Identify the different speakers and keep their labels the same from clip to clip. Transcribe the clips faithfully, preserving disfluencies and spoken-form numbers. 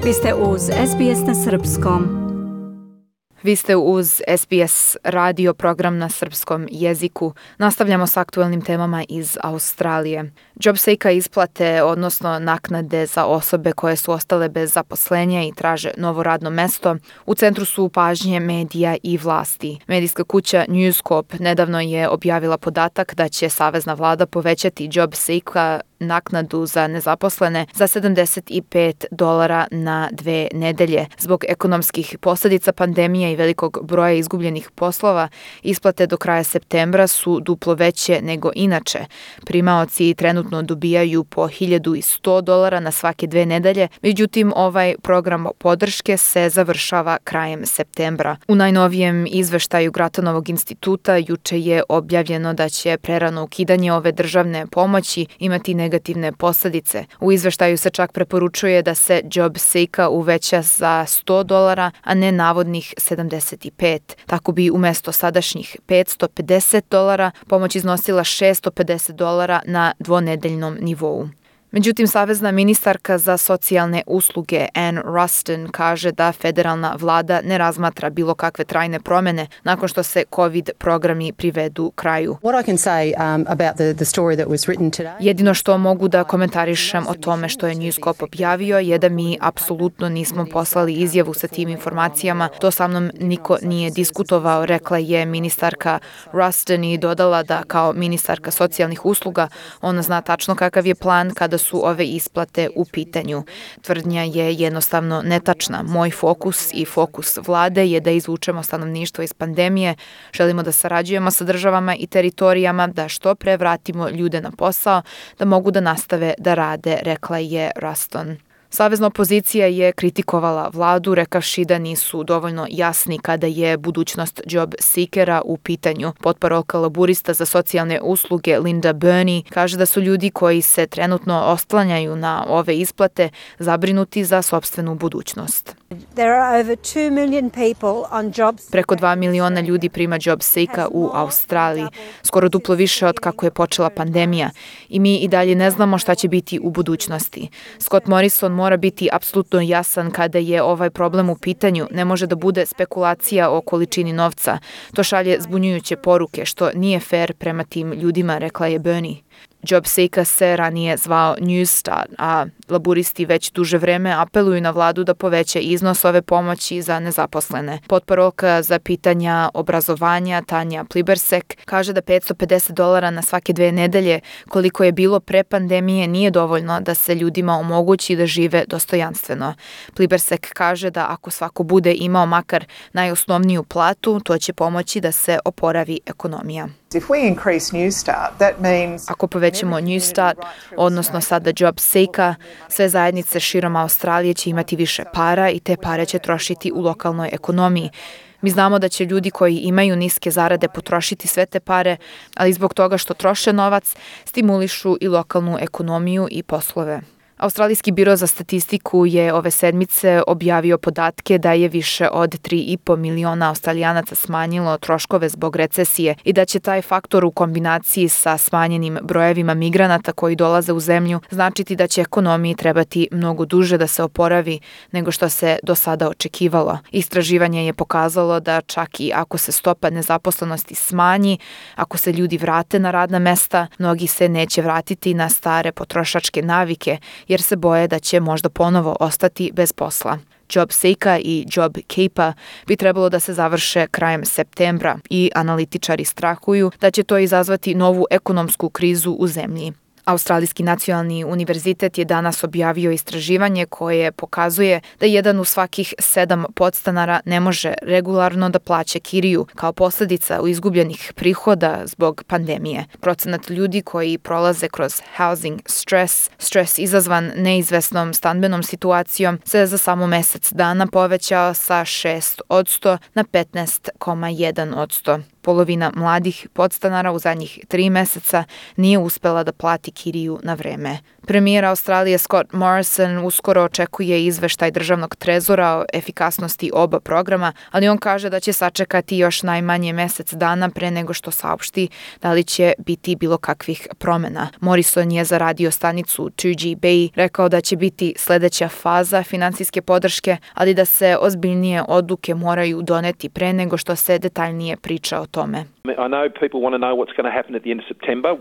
Speaker 1: Vi ste uz S B S na srpskom.
Speaker 2: Vi ste uz S B S radio program na srpskom jeziku. Nastavljamo s aktuelnim temama iz Australije. JobSeeker isplate, odnosno naknade za osobe koje su ostale bez zaposlenja i traže novo radno mesto, u centru su pažnje medija i vlasti. Medijska kuća News Corp nedavno je objavila podatak da će savezna vlada povećati JobSeeker naknadu za nezaposlene za sedamdeset pet dolara na dve nedelje. Zbog ekonomskih posljedica pandemije i velikog broja izgubljenih poslova, isplate do kraja septembra su duplo veće nego inače. Primaoci trenutno dobijaju po hiljadu sto dolara na svake dve nedelje, međutim ovaj program podrške se završava krajem septembra. U najnovijem izveštaju Gratonovog instituta juče je objavljeno da će prerano ukidanje ove državne pomoći imati negativne posljedice. U izveštaju se čak preporučuje da se JobSeeker uveća za sto dolara, a ne navodnih sedamdeset pet. Tako bi umjesto sadašnjih petsto pedeset dolara pomoć iznosila šesto pedeset dolara na dvonedeljnom nivou. Međutim, savezna ministarka za socijalne usluge Ann Ruston kaže da federalna vlada ne razmatra bilo kakve trajne promjene nakon što se COVID programi privedu kraju. Jedino što mogu da komentarišem o tome što je News Corp objavio je da mi apsolutno nismo poslali izjavu sa tim informacijama. To sa mnom niko nije diskutovao, rekla je ministarka Ruston i dodala da kao ministarka socijalnih usluga ona zna tačno kakav je plan kada su ove isplate u pitanju. Tvrdnja je jednostavno netačna. Moj fokus i fokus vlade je da izvučemo stanovništvo iz pandemije, želimo da sarađujemo sa državama i teritorijama, da što pre vratimo ljude na posao, da mogu da nastave da rade, rekla je Ruston. Savezna opozicija je kritikovala vladu, rekavši da nisu dovoljno jasni kada je budućnost JobSeekera u pitanju. Potparolka laburista za socijalne usluge Linda Burney kaže da su ljudi koji se trenutno oslanjaju na ove isplate zabrinuti za sopstvenu budućnost. Preko dva miliona ljudi prima JobSeeker u Australiji, skoro duplo više od kako je počela pandemija. I mi i dalje ne znamo šta će biti u budućnosti. Scott Morrison mora biti apsolutno jasan kada je ovaj problem u pitanju. Ne može da bude spekulacija o količini novca. To šalje zbunjujuće poruke, što nije fair prema tim ljudima, rekla je Burney. JobSeeker se ranije zvao Newstart, a laburisti već duže vreme apeluju na vladu da poveća iznos ove pomoći za nezaposlene. Potparolka za pitanja obrazovanja Tanja Plibersek kaže da petsto pedeset dolara na svake dve nedelje, koliko je bilo pre pandemije, nije dovoljno da se ljudima omogući da žive dostojanstveno. Plibersek kaže da ako svako bude imao makar najosnovniju platu, to će pomoći da se oporavi ekonomija. Ako povećamo Newstart, odnosno sada JobSeeker, sve zajednice širom Australije će imati više para i te pare će trošiti u lokalnoj ekonomiji. Mi znamo da će ljudi koji imaju niske zarade potrošiti sve te pare, ali zbog toga što troše novac, stimulišu i lokalnu ekonomiju i poslove. Australijski biro za statistiku je ove sedmice objavio podatke da je više od tri i po miliona Australijanaca smanjilo troškove zbog recesije i da će taj faktor u kombinaciji sa smanjenim brojevima migranata koji dolaze u zemlju značiti da će ekonomiji trebati mnogo duže da se oporavi nego što se do sada očekivalo. Istraživanje je pokazalo da čak i ako se stopa nezaposlenosti smanji, ako se ljudi vrate na radna mesta, mnogi se neće vratiti na stare potrošačke navike jer se boje da će možda ponovo ostati bez posla. JobSeeker i JobKeeper bi trebalo da se završe krajem septembra i analitičari strahuju da će to izazvati novu ekonomsku krizu u zemlji. Australijski nacionalni univerzitet je danas objavio istraživanje koje pokazuje da jedan u svakih sedam podstanara ne može regularno da plaća kiriju kao posljedica izgubljenih prihoda zbog pandemije. Procenat ljudi koji prolaze kroz housing stress, stres izazvan neizvesnom stambenom situacijom, se za samo mjesec dana povećao sa šest odsto na petnaest zarez jedan odsto. Polovina mladih podstanara u zadnjih tri meseca nije uspela da plati kiriju na vreme. Premijer Australije Scott Morrison uskoro očekuje izveštaj državnog trezora o efikasnosti oba programa, ali on kaže da će sačekati još najmanje mesec dana pre nego što saopšti da li će biti bilo kakvih promena. Morrison je za radio stanicu two G Bay rekao da će biti sledeća faza finansijske podrške, ali da se ozbiljnije odluke moraju doneti pre nego što se detaljnije priča o tome.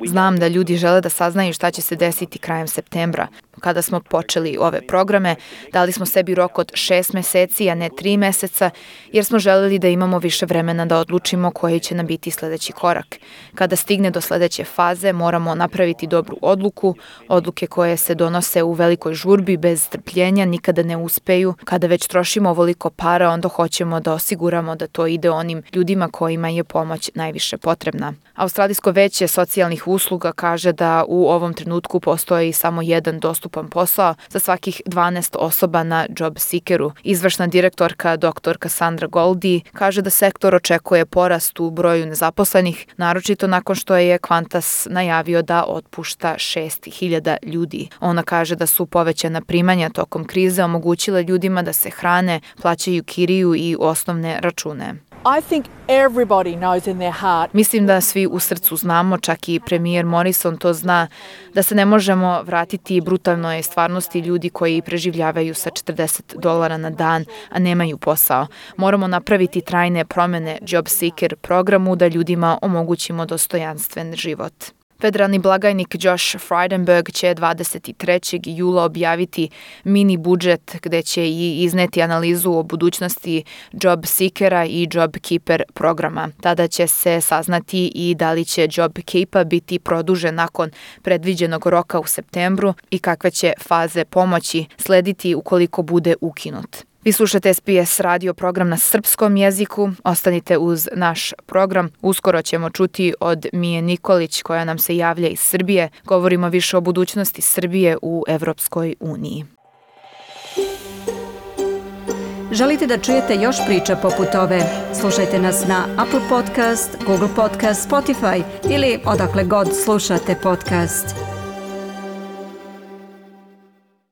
Speaker 2: Znam da ljudi žele da saznaju šta će se desiti krajem septembra. Kada smo počeli ove programe, dali smo sebi rok od šest meseci, a ne tri meseca, jer smo želeli da imamo više vremena da odlučimo koji će nam biti sledeći korak. Kada stigne do sledeće faze, moramo napraviti dobru odluku. Odluke koje se donose u velikoj žurbi bez strpljenja nikada ne uspeju. Kada već trošimo ovoliko para, onda hoćemo da osiguramo da to ide onim ljudima kojima je pomoć najviše potrebna. Australijsko veće socijalnih usluga kaže da u ovom trenutku postoji samo jedan dostupan posao za svakih dvanaest osoba na job seekeru. Izvršna direktorka dr Cassandra Goldie kaže da sektor očekuje porast u broju nezaposlenih, naročito nakon što je Qantas najavio da otpušta šest hiljada ljudi. Ona kaže da su povećana primanja tokom krize omogućile ljudima da se hrane, plaćaju kiriju i osnovne račune.
Speaker 3: I think everybody knows in their heart.
Speaker 2: Mislim da svi u srcu znamo, čak i premijer Morrison to zna, da se ne možemo vratiti brutalnoj stvarnosti ljudi koji preživljavaju sa četrdeset dolara na dan, a nemaju posao. Moramo napraviti trajne promene Job Seeker programu da ljudima omogućimo dostojanstven život. Federalni blagajnik Josh Frydenberg će dvadeset trećeg jula objaviti mini budžet gde će i izneti analizu o budućnosti Job Seekera i Job Keeper programa. Tada će se saznati i da li će Job Keeper biti produžen nakon predviđenog roka u septembru i kakve će faze pomoći slediti ukoliko bude ukinut. Vi slušate S B S radio program na srpskom jeziku. Ostanite uz naš program. Uskoro ćemo čuti od Mije Nikolić koja nam se javlja iz Srbije. Govorimo više o budućnosti Srbije u Evropskoj uniji.
Speaker 1: Želite da čujete još priča poput ove? Slušajte nas na Apple Podcast, Google Podcast, Spotify ili odakle god slušate podcast.